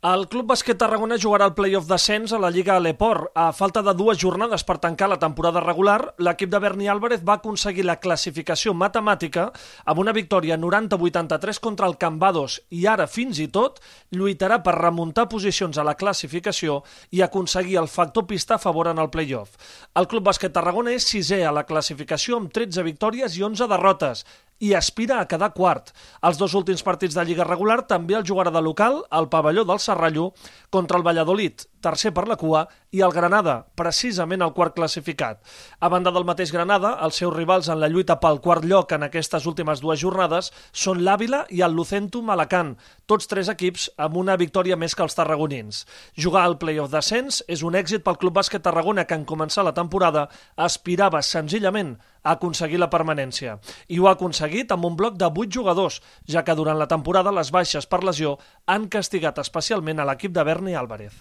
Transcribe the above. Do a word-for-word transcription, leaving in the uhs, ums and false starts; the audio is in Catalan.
El Club Bàsquet Tarragona jugarà el play-off d'ascens a la Lliga Aleport. A falta de dues jornades per tancar la temporada regular, l'equip de Berni Álvarez va aconseguir la classificació matemàtica amb una victòria noranta a vuitanta-tres contra el Cambados i ara, fins i tot, lluitarà per remuntar posicions a la classificació i aconseguir el factor pista a favor en el play-off. El Club Bàsquet Tarragona és sisè a la classificació amb tretze victòries i onze derrotes i aspira a quedar quart. Els dos últims partits de Lliga regular també el jugarà de local al pavelló del Serrallo contra el Valladolid, tercer per la cua, i el Granada, precisament el quart classificat. A banda del mateix Granada, els seus rivals en la lluita pel quart lloc en aquestes últimes dues jornades són l'Àvila i el Lucentum Alacant, tots tres equips amb una victòria més que els tarragonins. Jugar al play-off d'ascens és un èxit pel Club Bàsquet Tarragona, que en començar la temporada aspirava senzillament a aconseguir la permanència. I ho ha aconseguit amb un bloc de vuit jugadors, ja que durant la temporada les baixes per lesió han castigat especialment a l'equip de Berni Álvarez.